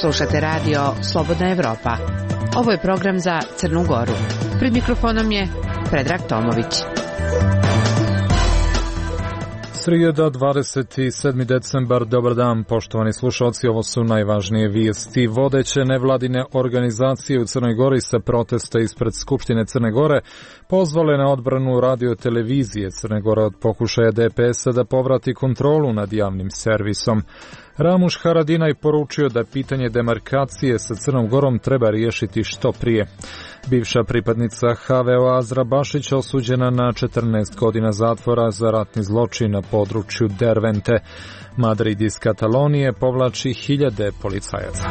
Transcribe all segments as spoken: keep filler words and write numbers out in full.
Slušate radio Slobodna Evropa. Ovo je program za Crnu Goru. Pred mikrofonom je Predrag Tomović. Srijeda, dvadeset sedmi decembar, dobar dan, poštovani slušalci, ovo su najvažnije vijesti. Vodeće nevladine organizacije u Crnoj Gori sa protesta ispred Skupštine Crne Gore pozvale na odbranu radio-televizije Crne Gore od pokušaja D P S-a da povrati kontrolu nad javnim servisom. Ramuš Haradinaj poručio da pitanje demarkacije sa Crnom Gorom treba riješiti što prije. Bivša pripadnica H V O Azra Bašić osuđena na četrnaest godina zatvora za ratni zločin na području Dervente. Madrid iz Katalonije povlači hiljade policajaca.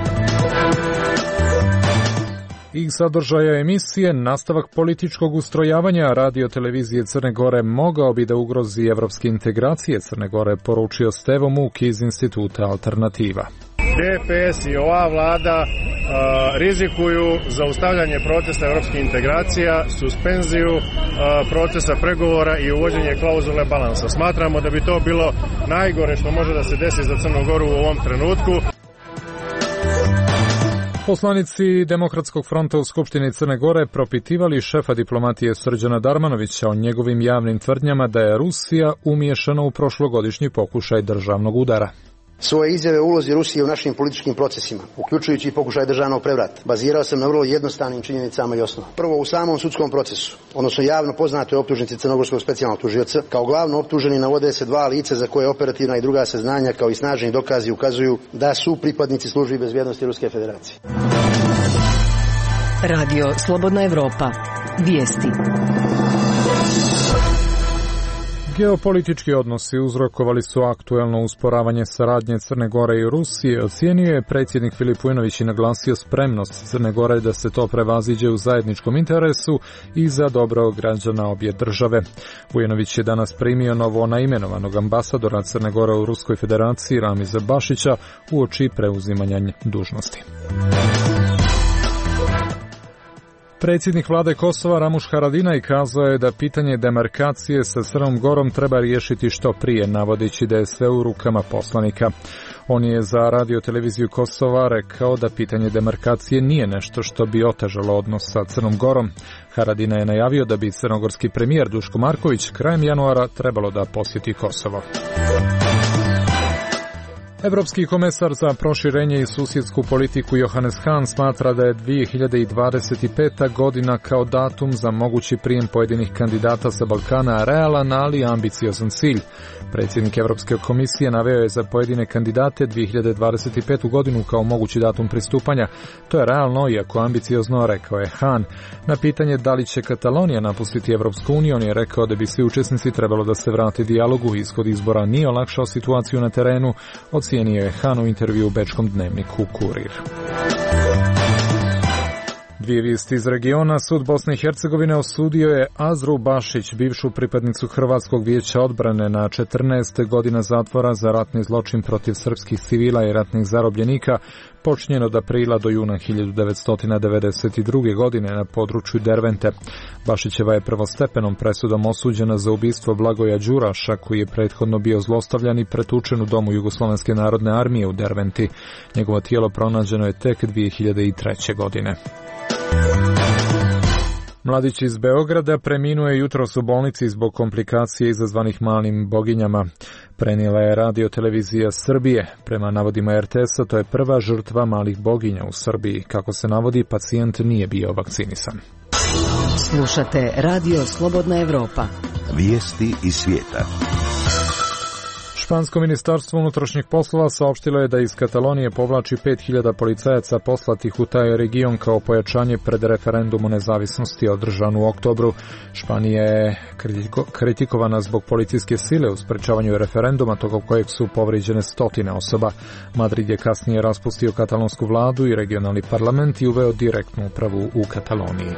Iz sadržaja emisije nastavak političkog ustrojavanja radio-televizije Crne Gore mogao bi da ugrozi evropske integracije Crne Gore, poručio Stevo Muk iz Instituta Alternativa. D P S i ova vlada a, rizikuju zaustavljanje procesa evropskih integracija, suspenziju a, procesa pregovora i uvođenje klauzule balansa. Smatramo da bi to bilo najgore što može da se desi za Crnu Goru u ovom trenutku. Poslanici Demokratskog fronta u Skupštini Crne Gore propitivali šefa diplomatije Srđana Darmanovića o njegovim javnim tvrdnjama da je Rusija umiješana u prošlogodišnji pokušaj državnog udara. Svoje izjave o ulozi Rusije u našim političkim procesima, uključujući i pokušaj državnog prevrata, bazirao sam na vrlo jednostavnim činjenicama i osnovama. Prvo, u samom sudskom procesu, odnosno javno poznatoj optužnici Crnogorskog specijalnog tužioca, kao glavno optuženi navode se dva lica za koje operativna i druga saznanja kao i snažni dokazi ukazuju da su pripadnici službi bezbjednosti Ruske federacije. Radio Slobodna Evropa. Vijesti. Geopolitički odnosi uzrokovali su aktuelno usporavanje saradnje Crne Gore i Rusije. Ocijenio je predsjednik Filip Vujinović i naglasio spremnost Crne Gore da se to prevaziđe u zajedničkom interesu i za dobro građana obje države. Vujinović je danas primio novo naimenovanog ambasadora Crne Gore u Ruskoj federaciji Ramiza Bašića uoči preuzimanja dužnosti. Predsjednik vlade Kosova Ramuš Haradinaj kazao je da pitanje demarkacije sa Crnom Gorom treba riješiti što prije, navodeći da je sve u rukama poslanika. On je za radio-televiziju Kosova rekao da pitanje demarkacije nije nešto što bi otežalo odnos sa Crnom Gorom. Haradinaj je najavio da bi crnogorski premijer Duško Marković krajem januara trebalo da posjeti Kosovo. Evropski komesar za proširenje i susjedsku politiku Johannes Hahn smatra da je dvije hiljade dvadeset peta godina kao datum za mogući prijem pojedinih kandidata sa Balkana realan, ali ambiciozan cilj. Predsjednik Evropske komisije naveo je za pojedine kandidate dvije hiljade dvadeset petu godinu kao mogući datum pristupanja. To je realno, iako ambiciozno, rekao je Hahn. Na pitanje da li će Katalonija napustiti Evropsku uniju, on je rekao da bi svi učesnici trebalo da se vrati dijalogu. Ishod izbora nije olakšao situaciju na terenu, ocijenio je Hahn u intervju u bečkom dnevniku Kurir. Dvije vijesti iz regiona. Sud Bosne i Hercegovine osudio je Azru Bašić, bivšu pripadnicu Hrvatskog vijeća odbrane, na četrnaest godina zatvora za ratni zločin protiv srpskih civila i ratnih zarobljenika, počinjen od aprila do juna hiljadu devetsto devedeset druge. godine na području Dervente. Bašićeva je prvostepenom presudom osuđena za ubistvo Blagoja Đuraša, koji je prethodno bio zlostavljan i pretučen u domu Jugoslovenske narodne armije u Derventi. Njegovo tijelo pronađeno je tek dvije hiljade treće. godine. Mladić iz Beograda preminuo je jutros u bolnici zbog komplikacije izazvanih malim boginjama. Prenijela je radio-televizija Srbije. Prema navodima R T S-a, to je prva žrtva malih boginja u Srbiji. Kako se navodi, pacijent nije bio vakcinisan. Slušate Radio Slobodna Evropa. Vijesti iz svijeta. Špansko ministarstvo unutrašnjih poslova saopštilo je da iz Katalonije povlači pet hiljada policajaca poslatih u taj region kao pojačanje pred referendum o nezavisnosti održan u oktobru. Španija je kritikovana zbog policijske sile u sprečavanju referenduma, tokom kojeg su povrijeđene stotine osoba. Madrid je kasnije raspustio katalonsku vladu i regionalni parlament i uveo direktnu upravu u Kataloniji.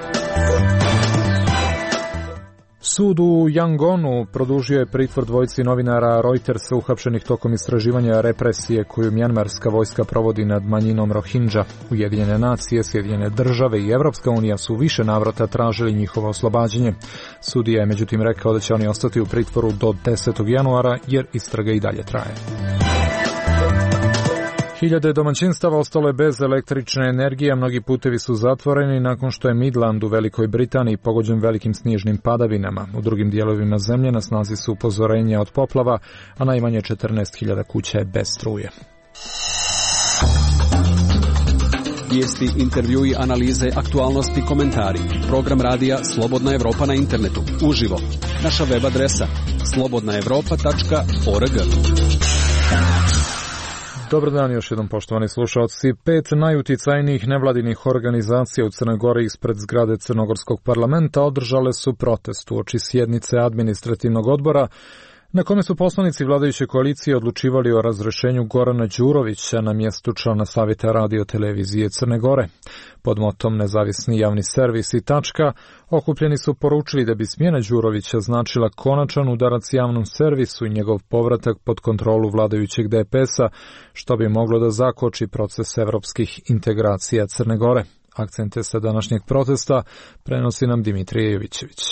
Sud u Yangonu produžio je pritvor dvojici novinara Reutersa uhapšenih tokom istraživanja represije koju mjanmarska vojska provodi nad manjinom Rohingya. Ujedinjene nacije, Sjedinjene države i Evropska unija su više navrata tražili njihovo oslobađanje. Sudija je međutim rekao da će oni ostati u pritvoru do desetog januara jer istraga i dalje traje. Hiljade domaćinstava ostale bez električne energije, a mnogi putevi su zatvoreni nakon što je Midland u Velikoj Britaniji pogođen velikim snježnim padavinama. U drugim dijelovima zemlje na snazi su upozorenja od poplava, a najmanje četrnaest hiljada kuća je bez struje. Vijesti, intervjui, analize, aktualnosti, komentari. Program radija Slobodna Evropa na internetu. Uživo. Naša web adresa slobodna evropa tačka org. Dobar dan još jednom, poštovani slušalci. Pet najuticajnijih nevladinih organizacija u Crnoj Gori ispred zgrade Crnogorskog parlamenta održale su protest uoči sjednice administrativnog odbora na kome su poslanici vladajuće koalicije odlučivali o razrešenju Gorana Đurovića na mjestu člana Savjeta radio televizije Crne Gore. Pod motom Nezavisni javni servis i tačka okupljeni su poručili da bi smjena Đurovića značila konačan udarac javnom servisu i njegov povratak pod kontrolu vladajućeg D P S-a, što bi moglo da zakoči proces evropskih integracija Crne Gore. Akcente sa današnjeg protesta prenosi nam Dimitrije Jovićević.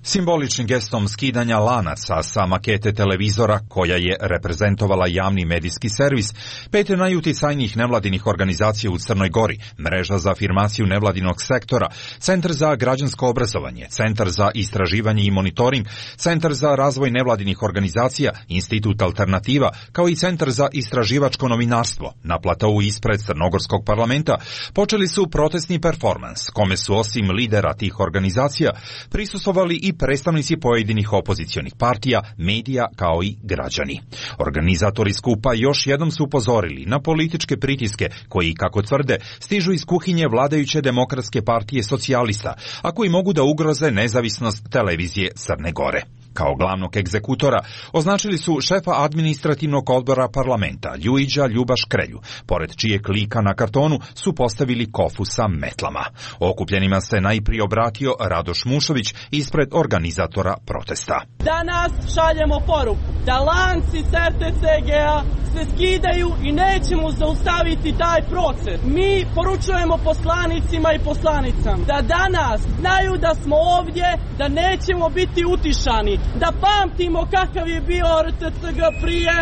Simboličnim gestom skidanja lanaca sa makete televizora koja je reprezentovala javni medijski servis, pet najuticajnijih nevladinih organizacija u Crnoj Gori, Mreža za afirmaciju nevladinog sektora, Centar za građansko obrazovanje, Centar za istraživanje i monitoring, Centar za razvoj nevladinih organizacija, Institut Alternativa, kao i Centar za istraživačko novinarstvo, na platou ispred Crnogorskog parlamenta, počeli su protestni performans, kome su osim lidera tih organizacija prisustvovali i predstavnici pojedinih opozicionih partija, medija kao i građani. Organizatori skupa još jednom su upozorili na političke pritiske koji, kako tvrde, stižu iz kuhinje vladajuće Demokratske partije socijalista, a koji mogu da ugroze nezavisnost televizije Crne Gore. Kao glavnog egzekutora označili su šefa administrativnog odbora parlamenta Ljuiđa Ljubaš Krelju, pored čijeg klika na kartonu su postavili kofu sa metlama. Okupljenima se najprije obratio Radoš Mušović ispred organizatora protesta. Danas šaljemo poruku da lanci s R T C G-a se skidaju i nećemo zaustaviti taj proces. Mi poručujemo poslanicima i poslanicama da danas znaju da smo ovdje, da nećemo biti utišani, da pamtimo kakav je bio R T C G prije,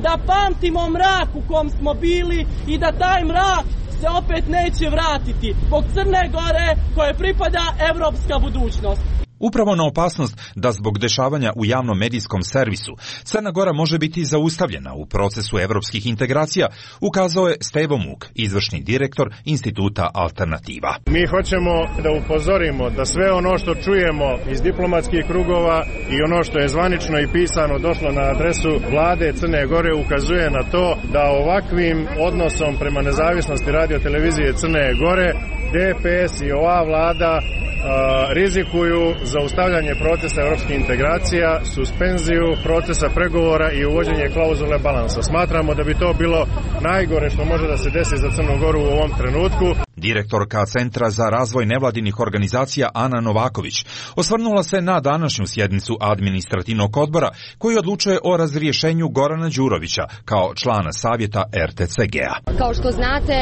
da pamtimo mrak u kom smo bili i da taj mrak se opet neće vratiti zbog Crne Gore koje pripada evropska budućnost. Upravo na opasnost da zbog dešavanja u javnom medijskom servisu Crna Gora može biti zaustavljena u procesu evropskih integracija, ukazao je Stevo Muk, izvršni direktor Instituta Alternativa. Mi hoćemo da upozorimo da sve ono što čujemo iz diplomatskih krugova i ono što je zvanično i pisano došlo na adresu vlade Crne Gore ukazuje na to da ovakvim odnosom prema nezavisnosti radio televizije Crne Gore D P S i ova vlada a, rizikuju zaustavljanje procesa evropskih integracija, suspenziju procesa pregovora i uvođenje klauzule balansa. Smatramo da bi to bilo najgore što može da se desi za Crnu Goru u ovom trenutku. Direktorka Centra za razvoj nevladinih organizacija Ana Novaković osvrnula se na današnju sjednicu administrativnog odbora koji odlučuje o razrješenju Gorana Đurovića kao člana savjeta R T C G-a. Kao što znate,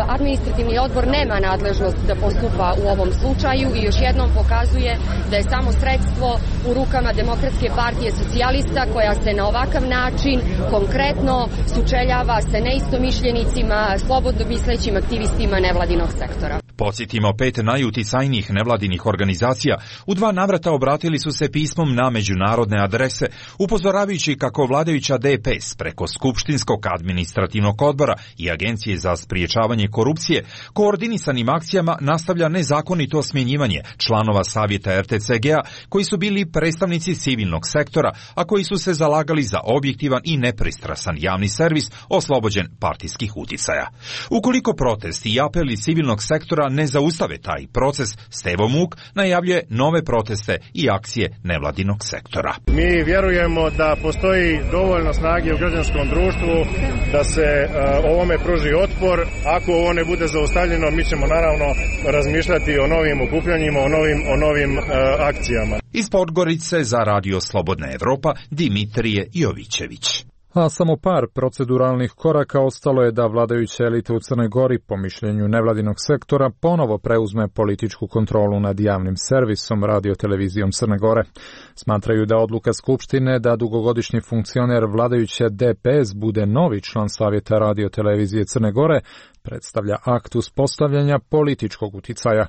administrativni odbor nema nadležnost da postupa u ovom slučaju i još jednom pokazuje da je samo sredstvo u rukama Demokratske partije socijalista koja se na ovakav način konkretno sučeljava sa neistomišljenicima, slobodno mislećim aktivistima nevladinog sektora. Podsjetimo, pet najuticajnijih nevladinih organizacija u dva navrata obratili su se pismom na međunarodne adrese, upozoravajući kako vladajuća D P S preko Skupštinskog administrativnog odbora i Agencije za spriječavanje korupcije koordinisanim akcijama nastavlja nezakonito smjenjivanje članova savjeta R T C G-a koji su bili predstavnici civilnog sektora, a koji su se zalagali za objektivan i nepristrasan javni servis oslobođen partijskih uticaja. Ukoliko protesti i apeli civilnog sektora ne zaustave taj proces, Stevo Muk najavljuje nove proteste i akcije nevladinog sektora. Mi vjerujemo da postoji dovoljno snage u građanskom društvu da se uh, ovome pruži otpor. Ako ovo ne bude zaustavljeno, mi ćemo naravno razmišljati o novim okupljanjima, o novim, o novim uh, akcijama. Iz Podgorice za Radio Slobodna Evropa, Dimitrije Jovićević. A samo par proceduralnih koraka ostalo je da vladajuća elita u Crnoj Gori, po mišljenju nevladinog sektora, ponovo preuzme političku kontrolu nad javnim servisom radio-televizijom Crne Gore. Smatraju da odluka Skupštine da dugogodišnji funkcioner vladajuće D P S bude novi član Savjeta radio-televizije Crne Gore predstavlja akt uspostavljanja političkog uticaja.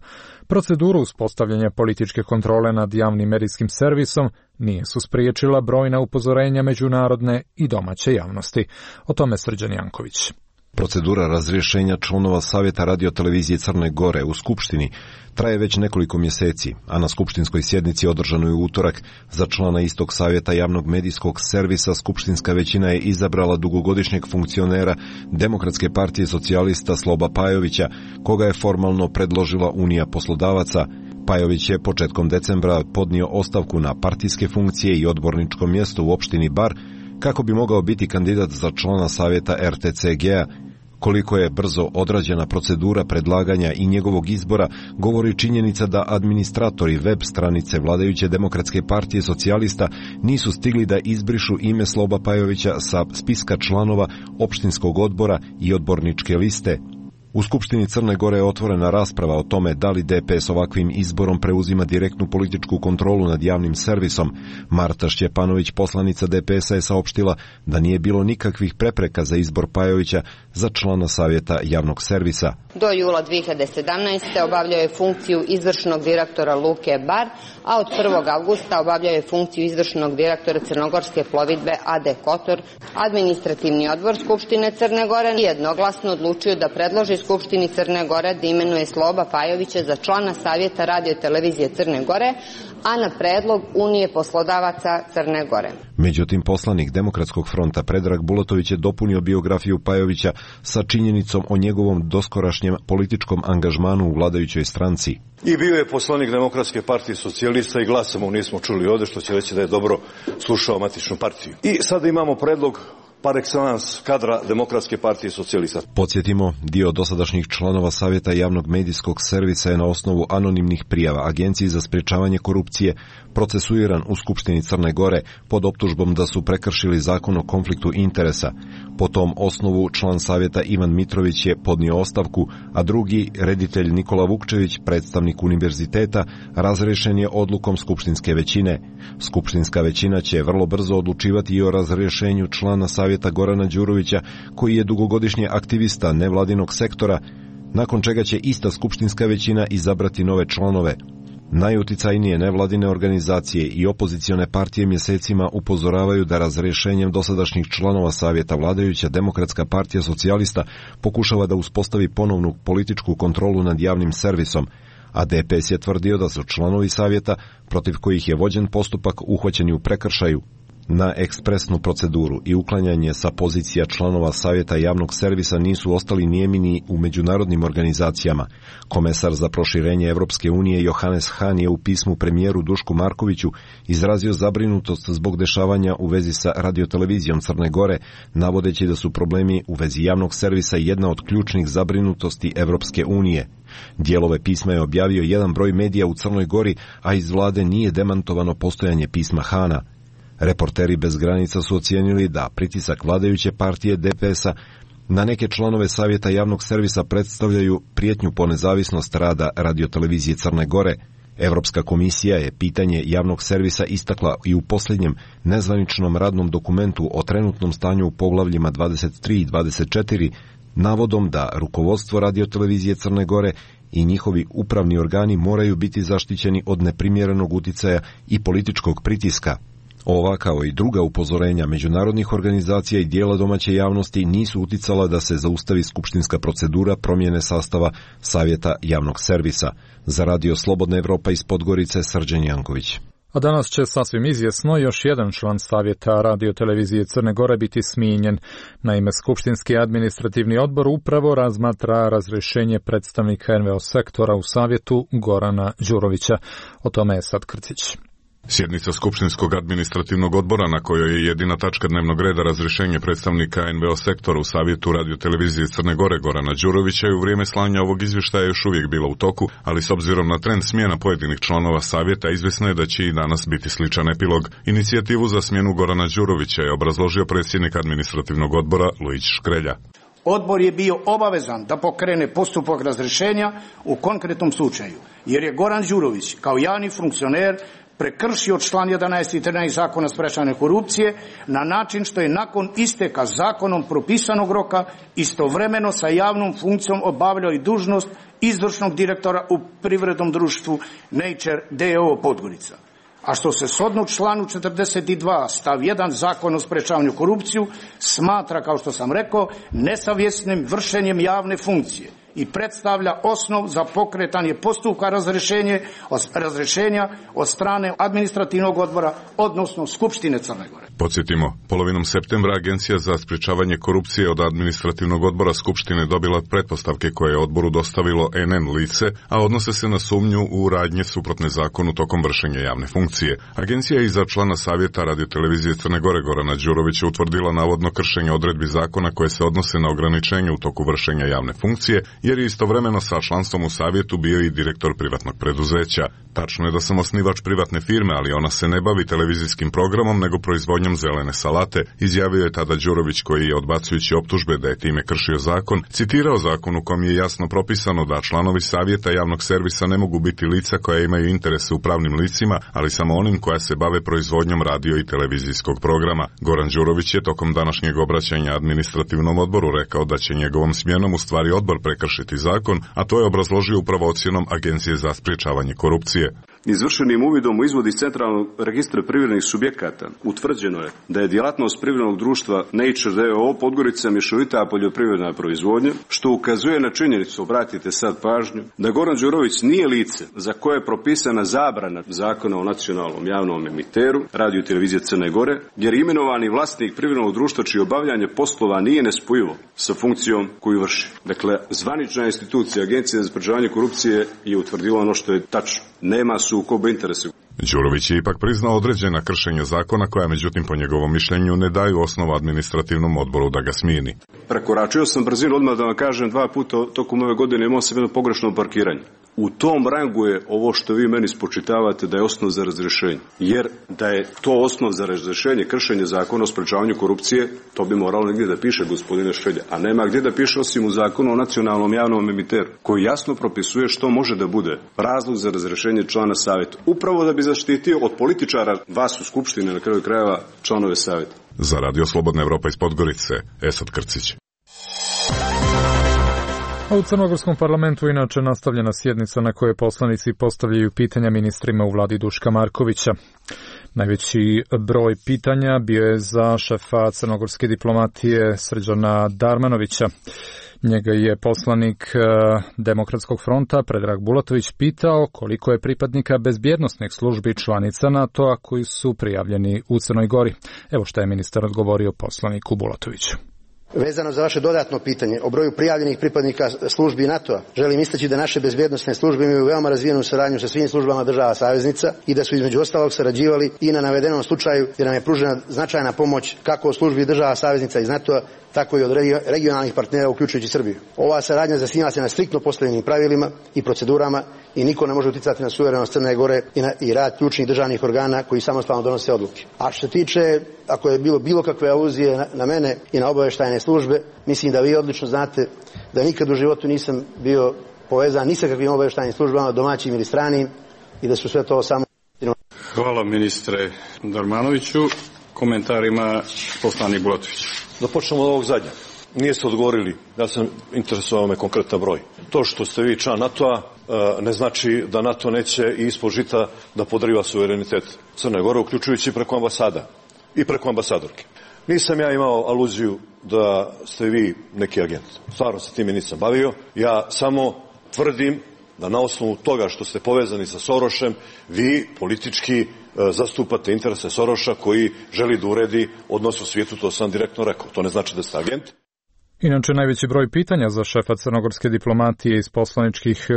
Proceduru uspostavljanja političke kontrole nad javnim medijskim servisom nije su spriječila brojna upozorenja međunarodne i domaće javnosti. O tome Srđan Janković. Procedura razrješenja članova Savjeta radio-televizije Crne Gore u Skupštini traje već nekoliko mjeseci, a na skupštinskoj sjednici održanoj u utorak za člana istog Savjeta javnog medijskog servisa skupštinska većina je izabrala dugogodišnjeg funkcionera Demokratske partije socijalista Sloba Pajovića, koga je formalno predložila Unija poslodavaca. Pajović je početkom decembra podnio ostavku na partijske funkcije i odborničko mjesto u opštini Bar kako bi mogao biti kandidat za člana Savjeta R T C G-a. Koliko je brzo odrađena procedura predlaganja i njegovog izbora govori činjenica da administratori web stranice vladajuće Demokratske partije socijalista nisu stigli da izbrišu ime Sloba Pajovića sa spiska članova opštinskog odbora i odborničke liste. U Skupštini Crne Gore je otvorena rasprava o tome da li D P S ovakvim izborom preuzima direktnu političku kontrolu nad javnim servisom. Marta Šćepanović, poslanica D P S-a, je saopštila da nije bilo nikakvih prepreka za izbor Pajovića za člana Savjeta javnog servisa. Do jula dvije hiljade sedamnaeste. obavljao je funkciju izvršnog direktora Luke Bar, a od prvog avgusta obavljao je funkciju izvršnog direktora Crnogorske plovidbe A D Kotor. Administrativni odbor Skupštine Crne Gore jednoglasno odlučio da predloži Skupštini Crne Gore da imenuje Sloba Pajovića za člana Savjeta radio-televizije Crne Gore, a na predlog Unije poslodavaca Crne Gore. Međutim, poslanik Demokratskog fronta Predrag Bulatović je dopunio biografiju Pajovića sa činjenicom o njegovom doskorašnjem političkom angažmanu u vladajućoj stranci. I bio je poslanik Demokratske partije socijalista i glasa mu nismo čuli ovdje, što će reći da je dobro slušao matičnu partiju. I sada imamo predlog par excellence kadra Demokratske partije socijalista. Podsjetimo, dio dosadašnjih članova Savjeta javnog medijskog servisa je na osnovu anonimnih prijava Agenciji za sprječavanje korupcije procesuiran u Skupštini Crne Gore pod optužbom da su prekršili zakon o konfliktu interesa. Po tom osnovu član Savjeta Ivan Mitrović je podnio ostavku, a drugi, reditelj Nikola Vukčević, predstavnik univerziteta, razrješen je odlukom skupštinske većine. Skupštinska većina će vrlo brzo odlučivati i o razrješenju člana Savjeta Gorana Đurovića, koji je dugogodišnji aktivista nevladinog sektora, nakon čega će ista skupštinska većina izabrati nove članove. Najuticajnije nevladine organizacije i opozicione partije mjesecima upozoravaju da razrješenjem dosadašnjih članova Savjeta vladajuća Demokratska partija socijalista pokušava da uspostavi ponovnu političku kontrolu nad javnim servisom, a D P S je tvrdio da su članovi Savjeta, protiv kojih je vođen postupak, uhvaćeni u prekršaju. Na ekspresnu proceduru i uklanjanje sa pozicija članova Savjeta javnog servisa nisu ostali nijemi u međunarodnim organizacijama. Komesar za proširenje Evropske unije Johannes Hahn je u pismu premijeru Dušku Markoviću izrazio zabrinutost zbog dešavanja u vezi sa radiotelevizijom Crne Gore, navodeći da su problemi u vezi javnog servisa jedna od ključnih zabrinutosti Evropske unije. Dijelove pisma je objavio jedan broj medija u Crnoj Gori, a iz vlade nije demantovano postojanje pisma Hana. Reporteri bez granica su ocijenili da pritisak vladajuće partije D P S-a na neke članove Savjeta javnog servisa predstavljaju prijetnju po nezavisnost rada radiotelevizije Crne Gore. Evropska komisija je pitanje javnog servisa istakla i u posljednjem nezvaničnom radnom dokumentu o trenutnom stanju u poglavljima dvadeset tri i dvadeset četiri, navodom da rukovodstvo radiotelevizije Crne Gore i njihovi upravni organi moraju biti zaštićeni od neprimjerenog uticaja i političkog pritiska. Ova, kao i druga upozorenja međunarodnih organizacija i dijela domaće javnosti, nisu uticala da se zaustavi skupštinska procedura promjene sastava Savjeta javnog servisa. Za Radio Slobodna Evropa iz Podgorice, Srđan Janković. A danas će sasvim izvjesno još jedan član Savjeta radio-televizije Crne Gore biti smijenjen. Naime, Skupštinski administrativni odbor upravo razmatra razrješenje predstavnika N V O sektora u Savjetu Gorana Đurovića. O tome je sad Krcić. Sjednica Skupštinskog administrativnog odbora na kojoj je jedina tačka dnevnog reda razrješenje predstavnika en ve o sektora u Savjetu radiotelevizije Crne Gore Gorana Đurovića i u vrijeme slanja ovog izvještaja još uvijek bila u toku, ali s obzirom na trend smjena pojedinih članova Savjeta izvjesno je da će i danas biti sličan epilog. Inicijativu za smjenu Gorana Đurovića je obrazložio predsjednik administrativnog odbora Lujić Škrelja. Odbor je bio obavezan da pokrene postupak razrješenja u konkretnom slučaju, jer je Goran Đurović kao javni funkcioner prekršio član jedanaest i trinaest Zakona o sprečavanju korupcije na način što je nakon isteka zakonom propisanog roka istovremeno sa javnom funkcijom obavljao i dužnost izvršnog direktora u privrednom društvu Nature d o o Podgorica. A što se shodno članu četrdeset dva stav jedan Zakona o sprečavanju korupciju smatra, kao što sam rekao, nesavjesnim vršenjem javne funkcije i predstavlja osnov za pokretanje postupka razrješenje, razrješenja od strane administrativnog odbora, odnosno Skupštine Crne Gore. Podsjetimo, polovinom septembra Agencija za sprječavanje korupcije od administrativnog odbora Skupštine dobila pretpostavke koje je odboru dostavilo en en lice, a odnose se na sumnju u radnje suprotne zakonu tokom vršenja javne funkcije. Agencija je iza člana Savjeta radiotelevizije Crne Gore Gorana Đurovića utvrdila navodno kršenje odredbi zakona koje se odnose na ograničenje u toku vršenja javne funkcije, jer je istovremeno sa članstvom u Savjetu bio i direktor privatnog preduzeća. Tačno je da sam osnivač privatne firme, ali ona se ne bavi televizijskim programom, nego proizvodnjom zelene salate, izjavio je tada Đurović, koji je, odbacujući optužbe da je time kršio zakon, citirao zakon u kom je jasno propisano da članovi Savjeta javnog servisa ne mogu biti lica koja imaju interese u pravnim licima, ali samo onim koja se bave proizvodnjom radio i televizijskog programa. Goran Đurović je tokom današnjeg obraćanja administrativnom odboru rekao da će njegovom smjenom u stvari odbor prekršiti zakon, a to je obrazložio upravo ocjenom Agencije za sprječavanje korupcije. Izvršenim uvidom u izvod iz centralnog registra privrednih subjekata utvrđeno je da je djelatnost privrednog društva Nature d o o Podgorica mješovita poljoprivredna proizvodnja, što ukazuje na činjenicu, obratite sad pažnju, da Goran Đurović nije lice za koje je propisana zabrana Zakona o nacionalnom javnom emiteru radio i televizije Crne Gore, jer imenovani vlasnik privrednog društva čije obavljanje poslova nije nespojivo sa funkcijom koju vrši. Dakle, zvanična institucija Agencije za sprječavanje korupcije je utvrdila ono što je tačno. Nema sukoba interesa. Đurović je ipak priznao određena kršenja zakona koja, međutim, po njegovom mišljenju ne daju osnovu administrativnom odboru da ga smijeni. Prekoračio sam brzinu, odmah da vam kažem, dva puta tokom ove godine imao sam jedno pogrešno parkiranje. U tom rangu je ovo što vi meni spočitavate da je osnov za razrješenje. Jer da je to osnov za razrješenje, kršenje zakona o sprečavanju korupcije, to bi moralo negdje da piše, gospodine Švelja. A nema gdje da piše osim u zakonu o nacionalnom javnom emiteru, koji jasno propisuje što može da bude razlog za razrješenje člana Savjeta. Upravo da bi zaštitio od političara vas u Skupštini, na kraju krajeva, članove Savjeta. Za Radio Slobodna Evropa iz Podgorice, Esad Krcić. A u Crnogorskom parlamentu inače nastavljena sjednica na kojoj poslanici postavljaju pitanja ministrima u vladi Duška Markovića. Najveći broj pitanja bio je za šefa crnogorske diplomatije Srđana Darmanovića. Njega je poslanik Demokratskog fronta Predrag Bulatović pitao koliko je pripadnika bezbjednosnih službi članica NATO-a koji su prijavljeni u Crnoj Gori. Evo šta je ministar odgovorio poslaniku Bulatoviću. Vezano za vaše dodatno pitanje o broju prijavljenih pripadnika službi NATO-a, želim istaći da naše bezbjednosne službe imaju veoma razvijenu saradnju sa svim službama država saveznica i da su između ostalog sarađivali i na navedenom slučaju gdje nam je pružena značajna pomoć kako od službi država saveznica iz NATO-a, tako i od regionalnih partnera uključujući Srbiju. Ova saradnja zasniva se na striktno postavljenim pravilima i procedurama i niko ne može uticati na suverenost Crne Gore i, na, i rad ključnih državnih organa koji samostalno donose odluke. A što se tiče, ako je bilo bilo kakve aluzije na, na mene i na obavještajne službe, mislim da vi odlično znate da nikad u životu nisam bio povezan ni sa kakvim obavještajnim službama, domaćim ili stranim, i da su sve to samo... Hvala ministre Darmanoviću. Komentarima poslanik Bulatović. Da počnemo od ovog zadnjeg. Nije se odgovorili, ja sam interesovao me konkretan broj. To što ste vi član NATO-a ne znači da NATO neće i ispod žita da podriva suverenitet Crne Gore, uključujući preko ambasada i preko ambasadorke. Nisam ja imao aluziju da ste vi neki agent. Stvarno se time nisam bavio. Ja samo tvrdim da na osnovu toga što ste povezani sa Sorošem, vi politički zastupate interese Soroša koji želi da uredi odnos u svijetu, to sam direktno rekao. To ne znači da ste agent. Inače, najveći broj pitanja za šefa crnogorske diplomatije iz, poslaničkih,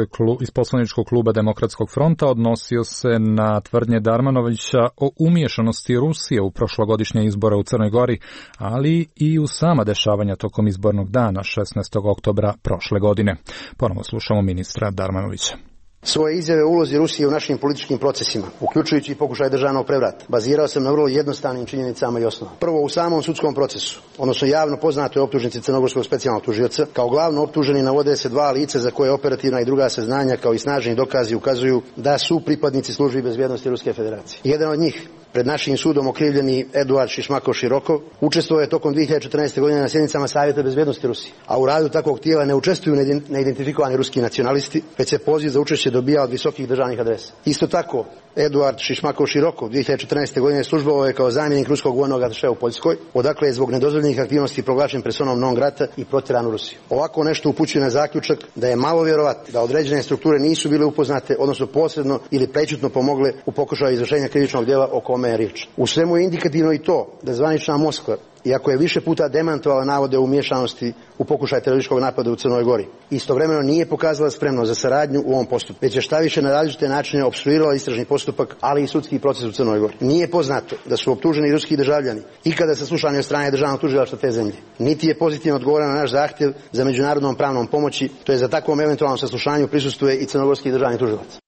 iz poslaničkog kluba Demokratskog fronta odnosio se na tvrdnje Darmanovića o umiješanosti Rusije u prošlogodišnje izbore u Crnoj Gori, ali i u sama dešavanja tokom izbornog dana šesnaestog oktobra prošle godine. Ponovo slušamo ministra Darmanovića. Svoje izjave o ulozi Rusije u našim političkim procesima, uključujući i pokušaj državnog prevrata, bazirao sam na vrlo jednostavnim činjenicama i osnovama. Prvo, u samom sudskom procesu, odnosno javno poznatoj optužnici crnogorskog specijalnog tužioca, kao glavno optuženi navode se dva lica za koje operativna i druga saznanja kao i snažni dokazi ukazuju da su pripadnici službi bezbjednosti Ruske federacije. Jedan od njih, pred našim sudom okrivljeni Eduard Šišmakov-Širokov, učestvovao je tokom dvije hiljade četrnaeste. godine na sjednicama Savjeta bezbjednosti Rusije, a u radu takvog tijela ne učestvuju neidentifikovani ruski nacionalisti, već se poziv za učešće dobija od visokih državnih adresa. Isto tako, Eduard Šišmakov-Širokov dvije hiljade četrnaeste. godine službovao je kao zamjenik ruskog vojnog atašea u Poljskoj, odakle je zbog nedozvoljenih aktivnosti proglašen personom non grata i protjeran u Rusiju. Ovako nešto upućuje na zaključak da je malo vjerovatno da određene strukture nisu bile upoznate, odnosno posredno ili prečutno pomogle u pokušaju izvršenja krivičnog djela o kome je riječ. U svemu je indikativno i to da zvanična Moskva, iako je više puta demantovala navode o umiješanosti u pokušaj terorističkog napada u Crnoj Gori, istovremeno nije pokazala spremnost za saradnju u ovom postupku, već je štaviše na različite načine opstruirala istražni postupak, ali i sudski proces u Crnoj Gori. Nije poznato da su optuženi ruski državljani ikada saslušani od strane državnog tužilaštva te zemlje. Niti je pozitivno odgovoreno na naš zahtjev za međunarodnom pravnom pomoći, to je za takvom eventualnom saslušanju prisustvuje i crnogorski državni tužilac.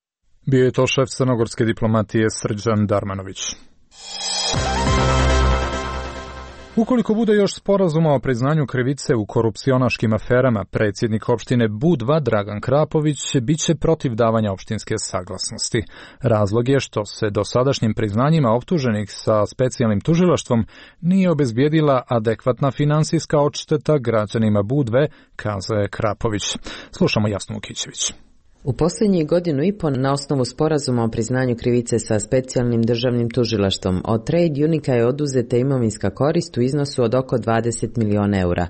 Bio je to šef crnogorske diplomatije Srđan Darmanović. Ukoliko bude još sporazuma o priznanju krivice u korupcionaškim aferama, predsjednik opštine Budva Dragan Krapović bit će protiv davanja opštinske saglasnosti. Razlog je što se dosadašnjim priznanjima optuženih sa specijalnim tužilaštvom nije obezbijedila adekvatna finansijska odšteta građanima Budve, kazao Krapović. Slušamo Jasnu Vukićević. U posljednjih godinu i po na osnovu sporazuma o priznanju krivice sa specijalnim državnim tužilaštvom od Trade Unica je oduzeta imovinska korist u iznosu od oko dvadeset miliona eura.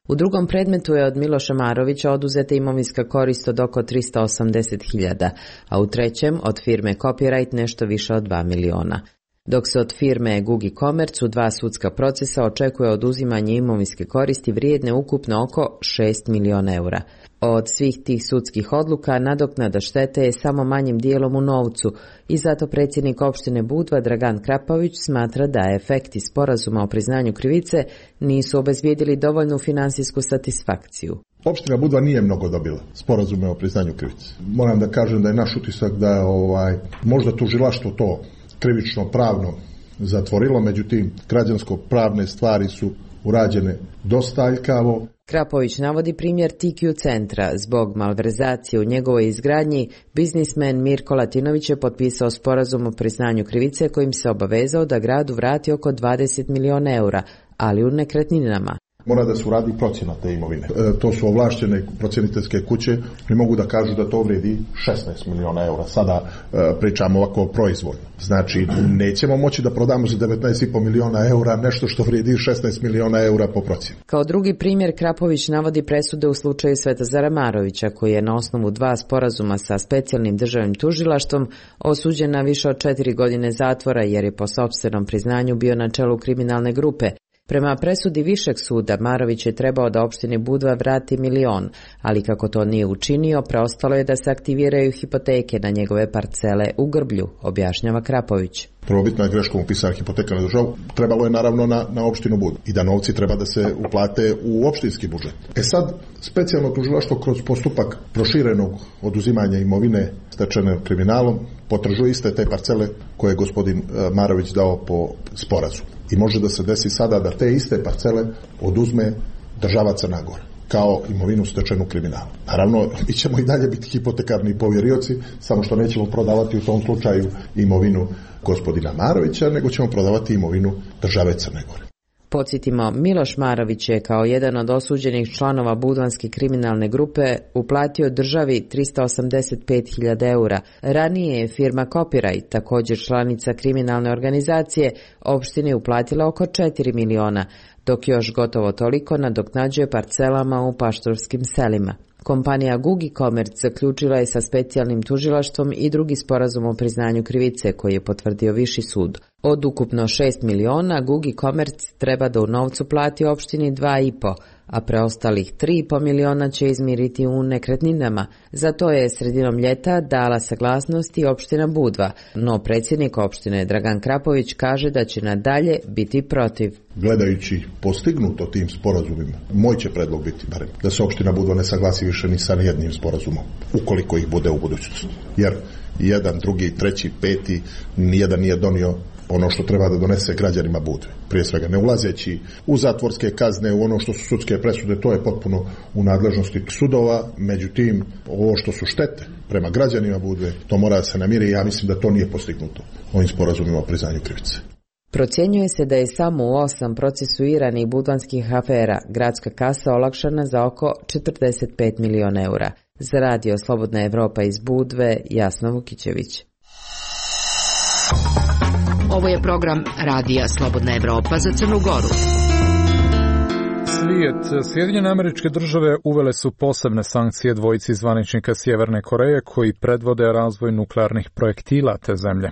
U drugom predmetu je od Miloša Marovića oduzeta imovinska korist od oko tristo osamdeset hiljada, a u trećem od firme Copyright nešto više od dva miliona. Dok se od firme Gugi Commerce u dva sudska procesa očekuje oduzimanje imovinske koristi vrijedne ukupno oko šest miliona eura. Od svih tih sudskih odluka nadoknada štete je samo manjim dijelom u novcu i zato predsjednik opštine Budva Dragan Krapović smatra da efekti sporazuma o priznanju krivice nisu obezbijedili dovoljnu finansijsku satisfakciju. Opština Budva nije mnogo dobila sporazume o priznanju krivice. Moram da kažem da je naš utisak da je ovaj, možda tužilaštvo to krivično pravno zatvorilo, međutim građansko-pravne stvari su urađene dosta aljkavo. Krapović navodi primjer T Q centra. Zbog malverzacije u njegovoj izgradnji, biznismen Mirko Latinović je potpisao sporazum o priznanju krivice kojim se obavezao da gradu vrati oko dvadeset miliona eura, ali u nekretninama. Mora da se uradi procjena te imovine. E, to su ovlaštene procjeniteljske kuće i mogu da kažu da to vredi šesnaest miliona eura. Sada e, pričamo ovako proizvoljno. Znači, nećemo moći da prodamo za devetnaest i po miliona eura nešto što vredi šesnaest miliona eura po procjeni. Kao drugi primjer, Krapović navodi presude u slučaju Svetozara Marovića, koji je na osnovu dva sporazuma sa specijalnim državnim tužilaštvom osuđen na više od četiri godine zatvora jer je po sopstvenom priznanju bio na čelu kriminalne grupe. Prema presudi Višeg suda, Marović je trebao da opštini Budva vrati milion, ali kako to nije učinio, preostalo je da se aktiviraju hipoteke na njegove parcele u Grblju, objašnjava Krapović. Prvobitna je greškom upisana hipoteka na državu, trebalo je naravno na, na opštinu Budva i da novci treba da se uplate u opštinski budžet. E sad, specijalno tužilaštvo kroz postupak proširenog oduzimanja imovine stečene kriminalom potražuje iste te parcele koje je gospodin Marović dao po sporazumu. I može da se desi sada da te iste parcele oduzme država Crna Gora kao imovinu stečenu kriminalom. Naravno, mi ćemo i dalje biti hipotekarni povjerioci, samo što nećemo prodavati u tom slučaju imovinu gospodina Marovića, nego ćemo prodavati imovinu države Crne Gore. Podsjetimo, Miloš Marović je kao jedan od osuđenih članova budvanske kriminalne grupe uplatio državi tristo osamdeset pet hiljada eura. Ranije je firma Copyright, također članica kriminalne organizacije, opštini uplatila oko četiri miliona, dok još gotovo toliko nadoknađuje parcelama u paštorskim selima. Kompanija Gugi Commerce zaključila je sa specijalnim tužilaštvom i drugi sporazum o priznanju krivice koji je potvrdio Viši sud. Od ukupno šest miliona, Gugi Commerce treba da u novcu plati opštini dva i po, a preostalih tri i po miliona će izmiriti u nekretninama. Za to je sredinom ljeta dala saglasnost i opština Budva, no predsjednik opštine Dragan Krapović kaže da će nadalje biti protiv. Gledajući postignuto tim sporazumima, moj će predlog biti barem da se opština Budva ne saglasi više ni sa jednim sporazumom, ukoliko ih bude u budućnosti. Jer jedan, drugi, treći, peti, nijedan nije donio ono što treba da donese građanima Budve. Prije svega ne ulazeći u zatvorske kazne, u ono što su sudske presude, to je potpuno u nadležnosti sudova, međutim ovo što su štete prema građanima Budve, to mora da se namiri i ja mislim da to nije postignuto ovim sporazumima o priznanju krivice. Procjenjuje se da je samo u osam procesuiranih budvanskih afera gradska kasa olakšana za oko četrdeset pet miliona eura. Za radio Slobodna Evropa iz Budve, Jasna Vukićević. Ovo je program Radija Slobodna Evropa za Crnu Goru. Svijet. Sjedinjene Američke Države uvele su posebne sankcije dvojici zvaničnika Sjeverne Koreje koji predvode razvoj nuklearnih projektila te zemlje.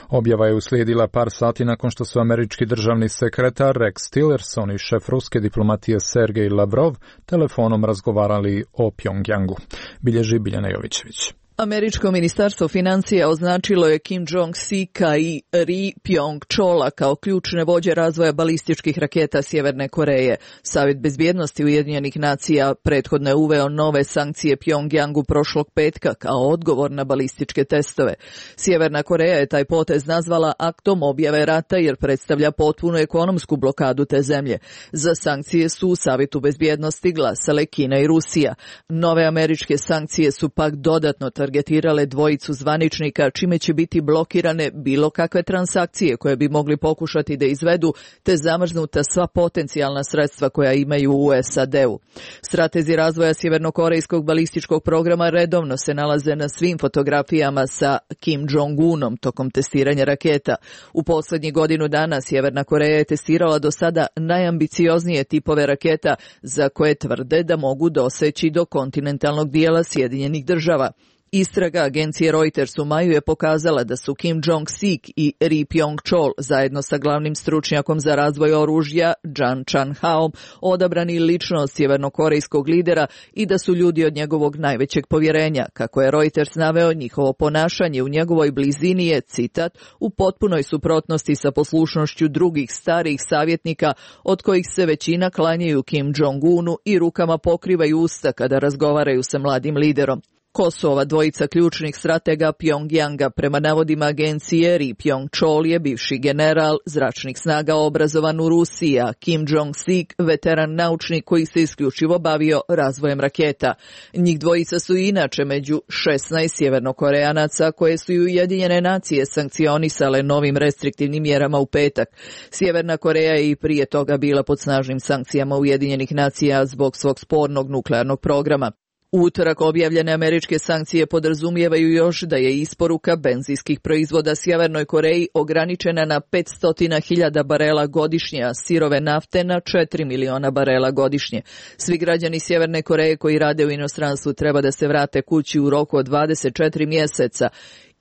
Objava je uslijedila par sati nakon što su američki državni sekretar Rex Tillerson i šef ruske diplomatije Sergej Lavrov telefonom razgovarali o Pjongjangu. Bilježi Biljana Jovićević. Američko ministarstvo financija označilo je Kim Jong-sika i Ri Pjong-chola kao ključne vođe razvoja balističkih raketa Sjeverne Koreje. Savjet bezbjednosti Ujedinjenih nacija prethodno je uveo nove sankcije Pjongjangu prošlog petka kao odgovor na balističke testove. Sjeverna Koreja je taj potez nazvala aktom objave rata jer predstavlja potpunu ekonomsku blokadu te zemlje. Za sankcije su u Savjetu bezbjednosti glasale Kina i Rusija. Nove američke sankcije su pak dodatno targetirale dvojicu zvaničnika, čime će biti blokirane bilo kakve transakcije koje bi mogli pokušati da izvedu, te zamrznuta sva potencijalna sredstva koja imaju u S A D-u. Stratezi razvoja sjevernokorejskog balističkog programa redovno se nalaze na svim fotografijama sa Kim Jong-unom tokom testiranja raketa. U posljednjih godinu dana Sjeverna Koreja je testirala do sada najambicioznije tipove raketa za koje tvrde da mogu doseći do kontinentalnog dijela Sjedinjenih Država. Istraga agencije Reuters u maju je pokazala da su Kim Jong-sik i Ri Pjong-chol zajedno sa glavnim stručnjakom za razvoj oružja Jan Chan-haom odabrani lično od sjevernokorejskog lidera i da su ljudi od njegovog najvećeg povjerenja. Kako je Reuters naveo, njihovo ponašanje u njegovoj blizini je, citat, u potpunoj suprotnosti sa poslušnošću drugih starijih savjetnika od kojih se većina klanjaju Kim Jong-unu i rukama pokrivaju usta kada razgovaraju sa mladim liderom. Ko su ova dvojica ključnih stratega Pjongjanga? Prema navodima agencije, Ri Pjong-chol je bivši general zračnih snaga obrazovan u Rusiji, a Kim Jong-sik veteran naučnik koji se isključivo bavio razvojem raketa. Njih dvojica su inače među šesnaest sjevernokoreanaca koje su i Ujedinjene nacije sankcionisale novim restriktivnim mjerama u petak. Sjeverna Koreja je i prije toga bila pod snažnim sankcijama Ujedinjenih nacija zbog svog spornog nuklearnog programa. U utorak objavljene američke sankcije podrazumijevaju još da je isporuka benzinskih proizvoda Sjevernoj Koreji ograničena na petsto hiljada barela godišnje, a sirove nafte na četiri miliona barela godišnje. Svi građani Sjeverne Koreje koji rade u inostranstvu treba da se vrate kući u roku od dvadeset četiri mjeseca.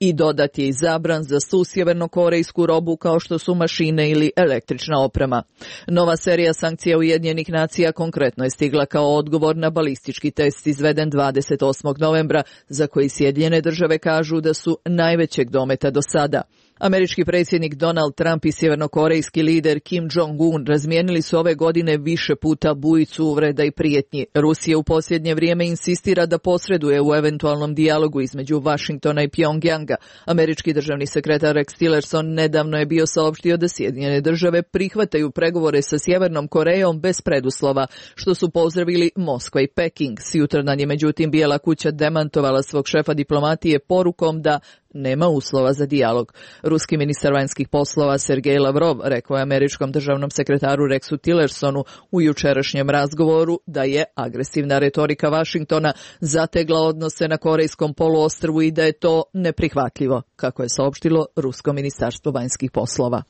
I dodat je i zabran za svu sjevernokorejsku robu kao što su mašine ili električna oprema. Nova serija sankcija Ujedinjenih nacija konkretno je stigla kao odgovor na balistički test izveden dvadeset osmog novembra, za koji Sjedinjene države kažu da su najvećeg dometa do sada. Američki predsjednik Donald Trump i sjevernokorejski lider Kim Jong-un razmijenili su ove godine više puta bujicu uvreda i prijetnji. Rusija u posljednje vrijeme insistira da posreduje u eventualnom dijalogu između Vašingtona i Pjongjanga. Američki državni sekretar Rex Tillerson nedavno je bio saopštio da Sjedinjene države prihvataju pregovore sa Sjevernom Korejom bez preduslova, što su pozdravili Moskva i Peking. Sjutradan je međutim Bijela kuća demantovala svog šefa diplomatije porukom da nema uslova za dijalog. Ruski ministar vanjskih poslova Sergej Lavrov rekao je američkom državnom sekretaru Rexu Tillersonu u jučerašnjem razgovoru da je agresivna retorika Vašingtona zategla odnose na Korejskom poluostrvu i da je to neprihvatljivo, kako je saopštilo Rusko ministarstvo vanjskih poslova.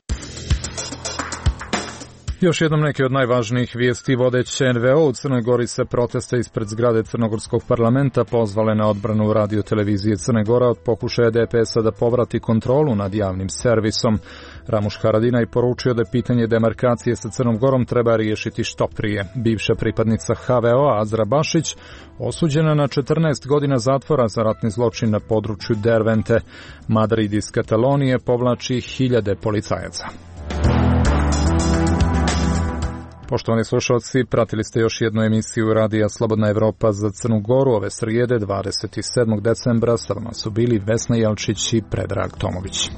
Još jednom neke od najvažnijih vijesti. Vodeće en ve o u Crnoj Gori se proteste ispred zgrade Crnogorskog parlamenta pozvale na odbranu radio televizije Crne Gora od pokušaja de pe es a da povrati kontrolu nad javnim servisom. Ramuš Haradinaj poručio da pitanje demarkacije sa Crnom Gorom treba riješiti što prije. Bivša pripadnica ha ve o-a Azra Bašić osuđena na četrnaest godina zatvora za ratni zločin na području Dervente. Madrid iz Katalonije povlači hiljade policajaca. Poštovani slušalci, pratili ste još jednu emisiju Radija Slobodna Evropa za Crnu Goru ove srijede dvadeset sedmog decembra. Sa vama su bili Vesna Jelčić i Predrag Tomović.